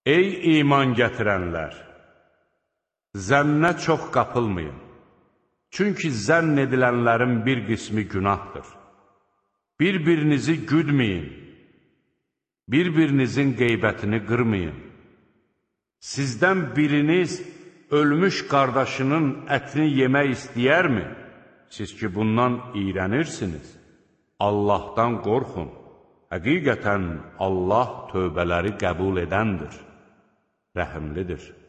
Ey iman gətirənlər! Zənnə çox qapılmayın. Çünki zənn edilənlərin bir qismi günahdır. Bir-birinizi güdməyin. Bir-birinizin qeybətini qırmayın. Sizdən biriniz ölmüş qardaşının ətini yemək istəyərmi? Siz ki, bundan iyrənirsiniz. Allahdan qorxun. Həqiqətən Allah tövbələri qəbul edəndir, rəhimlidir.